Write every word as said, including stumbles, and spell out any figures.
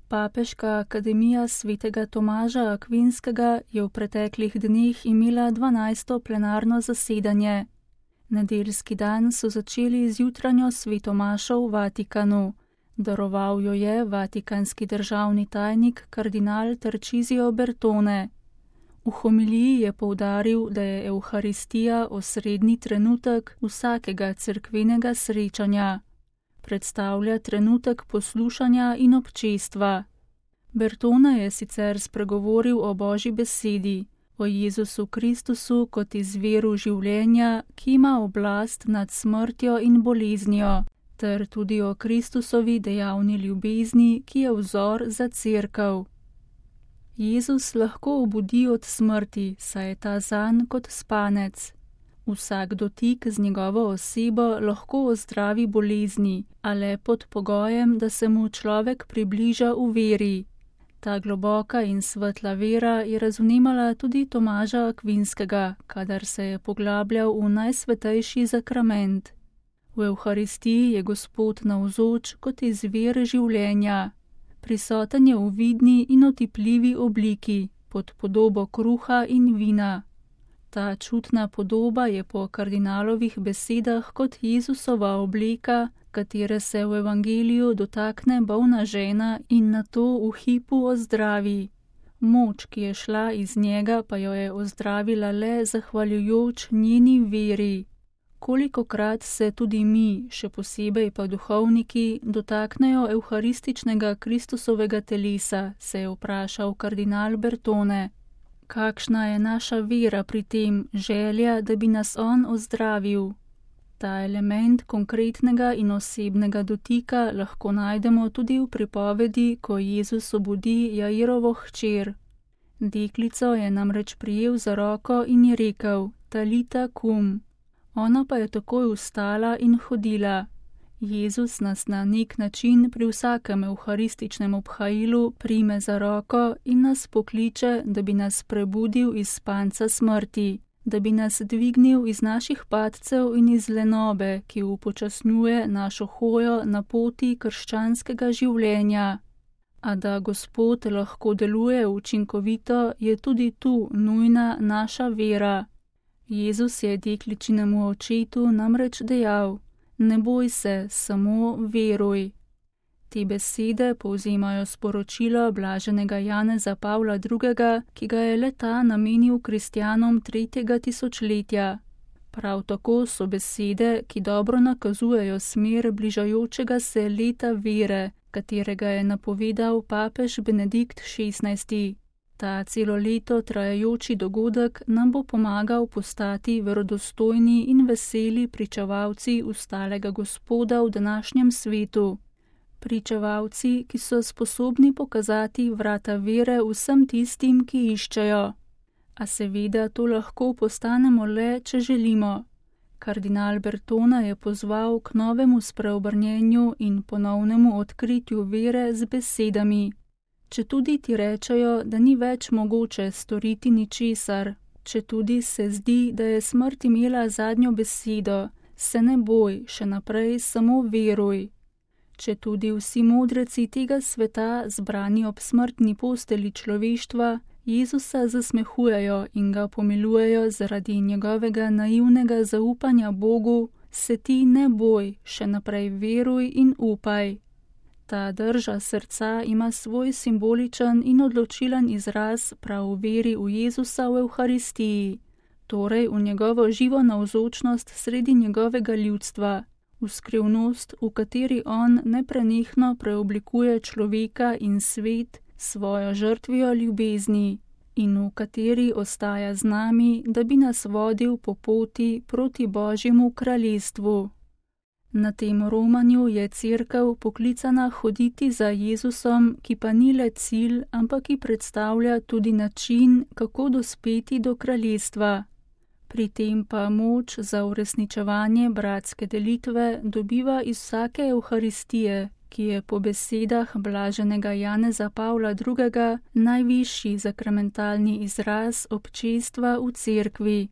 Papeška akademija svetega Tomaža Akvinskega je v preteklih dneh imela dvanajsto plenarno zasedanje. Nedeljski dan so začeli z jutranjo svetomašo v Vatikanu. Daroval jo je vatikanski državni tajnik kardinal Tarcisio Bertone. V homiliji je poudaril, da je Evharistija osrednji trenutek vsakega cerkvenega srečanja. Predstavlja trenutek poslušanja in občestva. Bertone je sicer spregovoril o Božji besedi, o Jezusu Kristusu kot izviru življenja, ki ima oblast nad smrtjo in boleznijo, ter tudi o Kristusovi dejavni ljubezni, ki je vzor za cerkev. Jezus lahko obudi od smrti, saj je ta zanj kot spanec. Vsak dotik z njegovo osebo lahko ozdravi bolezni, a le pod pogojem, da se mu človek približa v veri. Ta globoka in svetla vera je razumela tudi Tomaža Akvinskega, kadar se je poglabljal v najsvetejši zakrament. V Evharistiji je Gospod navzoč kot izvir življenja. Prisoten je v vidni in otipljivi obliki, pod podobo kruha in vina. Ta čutna podoba je po kardinalovih besedah kot Jezusova obleka, katere se v evangeliju dotakne bolna žena in nato v hipu ozdravi. Moč, ki je šla iz njega, pa jo je ozdravila le zahvaljujoč njeni veri. Kolikokrat se tudi mi, še posebej pa duhovniki, dotaknejo evharističnega Kristusovega telesa, se je vprašal kardinal Bertone. Kakšna je naša vera pri tem, želja, da bi nas on ozdravil? Ta element konkretnega in osebnega dotika lahko najdemo tudi v pripovedi, ko Jezus obudi Jairovo hčer. Deklico je namreč prijel za roko in ji rekel: Talita kum. Ona pa je takoj vstala in hodila. Jezus nas na nek način pri vsakem evharističnem obhajilu prime za roko in nas pokliče, da bi nas prebudil iz spanca smrti, da bi nas dvignil iz naših padcev in iz lenobe, ki upočasnjuje našo hojo na poti krščanskega življenja. A da Gospod lahko deluje učinkovito, je tudi tu nujna naša vera. Jezus je dekličinemu očetu namreč dejal: Ne boj se, samo veruj. Te besede povzemajo sporočilo blaženega Janeza Pavla drugega, ki ga je le-ta namenil kristjanom tretjega tisočletja. Prav tako so besede, ki dobro nakazujejo smer bližajočega se leta vere, katerega je napovedal papež Benedikt šestnajsti. Ta celo leto trajajoči dogodek nam bo pomagal postati verodostojni in veseli pričevalci ustalega Gospoda v današnjem svetu. Pričevalci, ki so sposobni pokazati vrata vere vsem tistim, ki iščejo. A seveda to lahko postanemo le, če želimo. Kardinal Bertone je pozval k novemu spreobrnjenju in ponovnemu odkritju vere z besedami: Četudi ti rečejo, da ni več mogoče storiti ničesar, četudi se zdi, da je smrt imela zadnjo besedo, se ne boj, še naprej samo veruj. Četudi vsi modreci tega sveta, zbrani ob smrtni posteli človeštva, Jezusa zasmehujejo in ga pomilujejo zaradi njegovega naivnega zaupanja Bogu, se ti ne boj, še naprej veruj in upaj. Ta drža srca ima svoj simboličen in odločilen izraz prav v veri v Jezusa v Evharistiji, torej v njegovo živo navzočnost sredi njegovega ljudstva, v skrivnost, v kateri on neprenehno preoblikuje človeka in svet svojo žrtvijo ljubezni in v kateri ostaja z nami, da bi nas vodil po poti proti Božjemu kraljestvu. Na tem romanju je cerkev poklicana hoditi za Jezusom, ki pa ni le cilj, ampak ki predstavlja tudi način, kako dospeti do kraljestva. Pri tem pa moč za uresničevanje bratske delitve dobiva iz vsake Evharistije, ki je po besedah blaženega Janeza Pavla drugega najvišji zakramentalni izraz občestva v cerkvi.